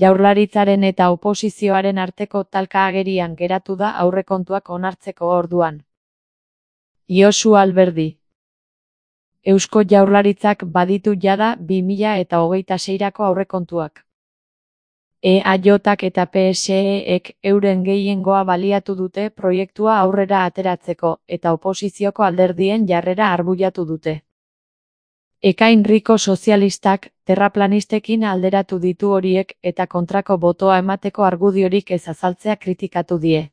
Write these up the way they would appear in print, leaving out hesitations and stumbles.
Jaurlaritzaren eta oposizioaren arteko talka agerian geratu da aurrekontuak onartzeko orduan. Josu Alberdi. Eusko Jaurlaritzak baditu jada 2026rako aurrekontuak. EAJak eta PSEek euren gehiengoa baliatu dute proiektua aurrera ateratzeko eta oposizioko alderdien jarrera arbuiatu dute. Ekain Riko sozialistak terraplanistekin alderatu ditu horiek eta kontrako botoa emateko argudiorik ez azaltzea kritikatu die.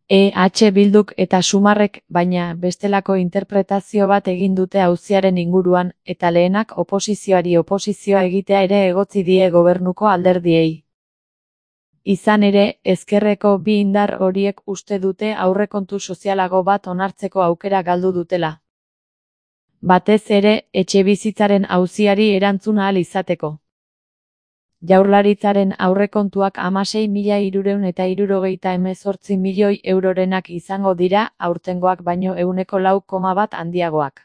EH Bilduk eta Sumarrek, baina, bestelako interpretazio bat egin dute auziaren inguruan, eta lehenak oposizioari oposizioa egitea ere egotzi die gobernuko alderdiei. Izan ere, ezkerreko bi indar horiek uste dute aurrekontu sozialago bat onartzeko aukera galdu dutela. Batez ere, etxebizitzaren auziari erantzun ahal izateko. Jaurlaritzaren aurrekontuak 16.378 milioi eurorenak izango dira, aurtengoak baino 4,1% handiagoak.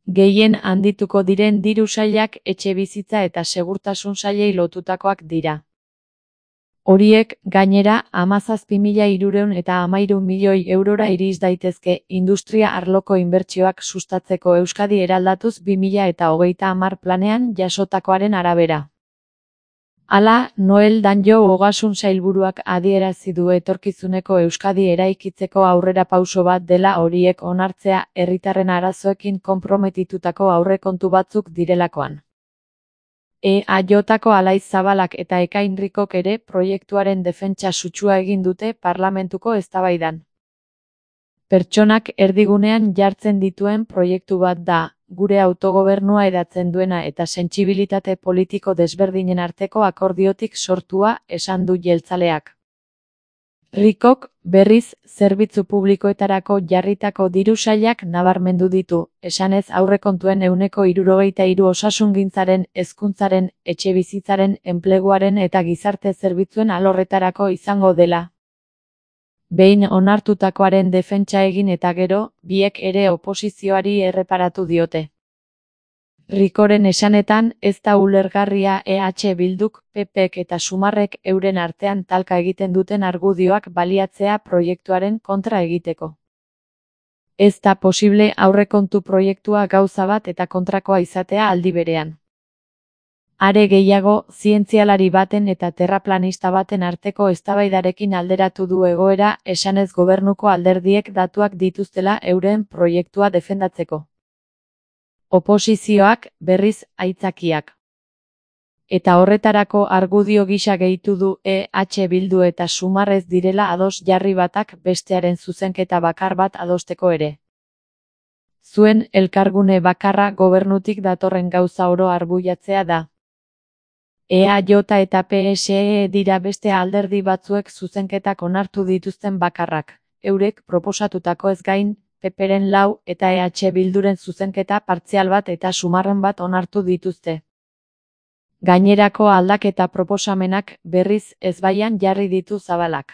Gehien handituko diren diru sailak etxebizitza eta segurtasun sailei lotutakoak dira. Horiek, gainera, 17.313 milioi eurora iriz daitezke industria arloko inbertsioak sustatzeko Euskadi eraldatuz 2030 planean jasotakoaren arabera. Hala, Noel Danjo ogasun sailburuak adierazi du etorkizuneko Euskadi eraikitzeko aurrerapauso bat dela horiek onartzea herritarren arazoekin konprometitutako aurrekontu batzuk direlakoan. EAJko Alaiz Zabalak eta Ekain Rikok ere proiektuaren defentsa sutsua egin dute parlamentuko eztabaidan. Pertsonak erdigunean jartzen dituen proiektu bat da, gure autogobernua hedatzen duena eta sentsibilitate politiko desberdinen arteko akordiotik sortua, esan du jeltzaleak. Rikok, berriz, zerbitzu publikoetarako jarritako diru sailak nabarmendu ditu, esanez aurrekontuen 73% osasungintzaren, hezkuntzaren, etxebizitzaren, enpleguaren eta gizarte zerbitzuen alorretarako izango dela. Behin onartutakoaren defentsa egin eta gero, biek ere oposizioari erreparatu diote. Rikoren esanetan, ez da ulergarria EH Bilduk, PPek eta Sumarrek euren artean talka egiten duten argudioak baliatzea proiektuaren kontra egiteko. Ez da posible aurrekontu proiektua gauza bat eta kontrakoa izatea aldi berean. Are gehiago, zientzialari baten eta terraplanista baten arteko eztabaidarekin alderatu du egoera, esanez gobernuko alderdiek datuak dituztela euren proiektua defendatzeko. Oposizioak, berriz, aitzakiak. Eta horretarako argudio gisa gehitu du EH Bildu eta Sumarrez direla ados jarri batak bestearen zuzenketa bakar bat adosteko ere. Zuen elkargune bakarra gobernutik datorren gauza oro arbuiatzea da. EAJ eta PSE dira beste alderdi batzuek zuzenketak onartu dituzten bakarrak, eurek proposatutako ez gain, PPren 4 eta EH Bilduren zuzenketa partzial bat eta Sumarren bat onartu dituzte. Gainerako aldaketa proposamenak berriz ezbaian jarri ditu Zabalak.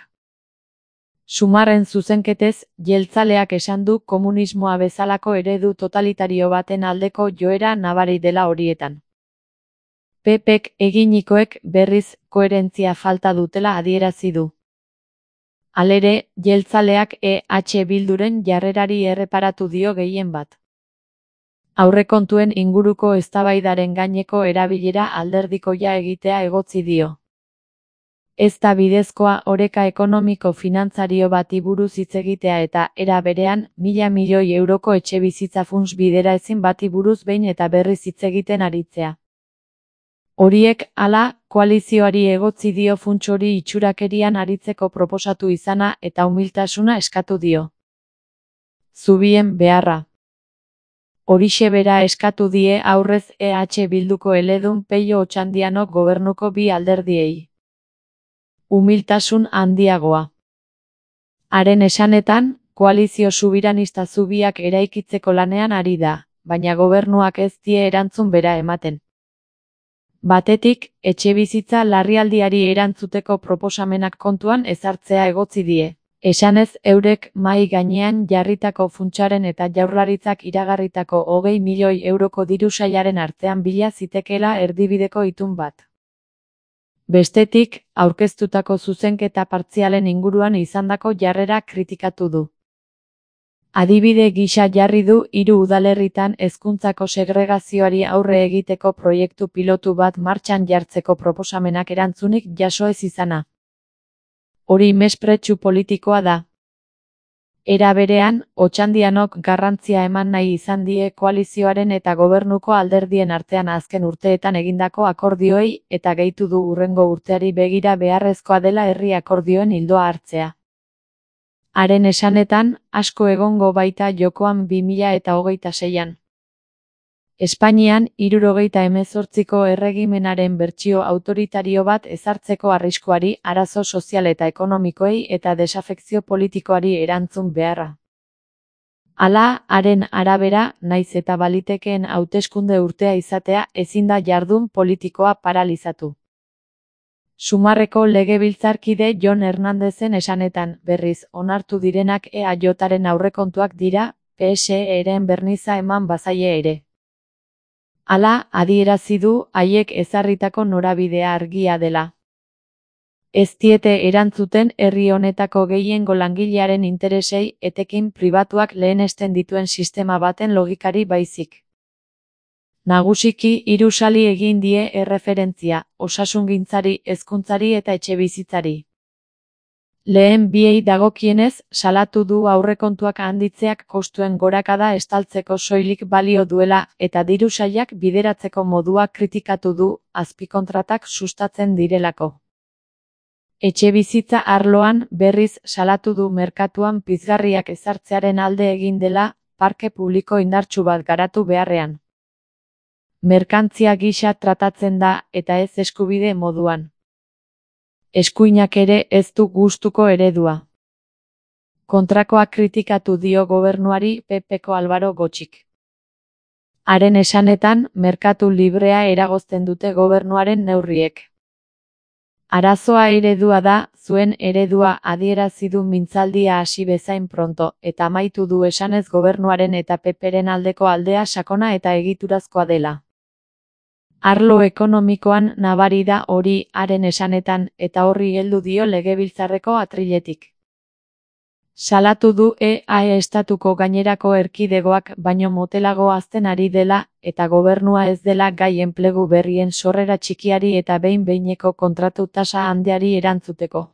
Sumarren zuzenketez, jeltzaleak esan du komunismoa bezalako eredu totalitario baten aldeko joera nabari dela horietan. PPek eginikoek berriz koherentzia falta dutela adierazi du. Halere, jeltzaleak EH Bilduren jarrerari erreparatu dio gehien bat. Aurrekontuen inguruko eztabaidaren gaineko erabilera alderdikoia egitea egotzi dio. Ez da bidezkoa oreka ekonomiko finantzario bati buruz hitz egitea eta era berean 1.000 milioi euroko etxebizitza funts bidera ezin bati buruz behin eta berriz hitz egiten aritzea. Horiek, hala, koalizioari egotzi dio funts hori itxurakerian aritzeko proposatu izana eta umiltasuna eskatu dio. Zubien beharra. Horixe bera eskatu die aurrez EH Bilduko eledun Peio Otxandianok gobernuko bi alderdiei. Umiltasun handiagoa. Haren esanetan, koalizio subiranista zubiak eraikitzeko lanean ari da, baina gobernuak ez die erantzun bera ematen. Batetik, etxebizitza larrialdiari erantzuteko proposamenak kontuan ezartzea egotzi die. Esanez eurek mahai gainean jarritako funtsaren eta Jaurlaritzak iragarritako 20 milioi euroko diru sailaren artean bila zitekeela erdibideko itun bat. Bestetik, aurkeztutako zuzenketa partzialen inguruan izandako jarrera kritikatu du. Adibide gisa jarri du 3 udalerritan hezkuntzako segregazioari aurre egiteko proiektu pilotu bat martxan jartzeko proposamenak erantzunik jaso ez izana. Hori mespretxu politikoa da. Era berean, Otxandianok garrantzia eman nahi izan die koalizioaren eta gobernuko alderdien artean azken urteetan egindako akordioei eta gehitu du hurrengo urteari begira beharrezkoa dela herri akordioen ildoa hartzea. Haren esanetan, asko egongo baita jokoan 2026an. Espainian, 78ko erregimenaren bertsio autoritario bat ezartzeko arriskuari, arazo sozial eta ekonomikoei eta desafekzio politikoari erantzun beharra. Hala, haren arabera, naiz eta balitekeen hauteskunde urtea izatea ezin da jardun politikoa paralizatu. Sumarreko legebiltzarkide Jon Hernandezen esanetan, berriz, onartu direnak EAJaren aurrekontuak dira, PSE-ren berniza eman bazaie ere. Hala, adierazi du, haiek ezarritako norabidea argia dela. Ez diete erantzuten herri honetako gehiengo langilearen interesei etekin pribatuak lehenesten dituen sistema baten logikari baizik. Nagusiki 3 sali egin die erreferentzia, osasungintzari, hezkuntzari eta etxebizitzari. Lehen biei dagokienez, salatu du aurrekontuak handitzeak kostuen gorakada estaltzeko soilik balio duela eta diru sailak bideratzeko modua kritikatu du, azpikontratak sustatzen direlako. Etxebizitza arloan, berriz, salatu du merkatuan pizgarriak ezartzearen alde egin dela, parke publiko indartsu bat garatu beharrean. Merkantzia gisa tratatzen da, eta ez eskubide moduan. Eskuinak ere ez du gustuko eredua. Kontrakoa kritikatu dio gobernuari PPko Alvaro Gotxik. Haren esanetan, merkatu librea eragozten dute gobernuaren neurriek. Arazoa eredua da, zuen eredua adierazi du mintzaldia hasi bezain pronto, eta amaitu du esanez gobernuaren eta PPren aldeko aldea sakona eta egiturazkoa dela. Arlo ekonomikoan nabari da hori haren esanetan eta horri heldu dio legebiltzarreko atriletik. Salatu du EAE estatuko gainerako erkidegoak baino motelago hazten ari dela eta gobernua ez dela gai enplegu berrien sorrera txikiari eta behin-behineko kontratu tasa handiari erantzuteko.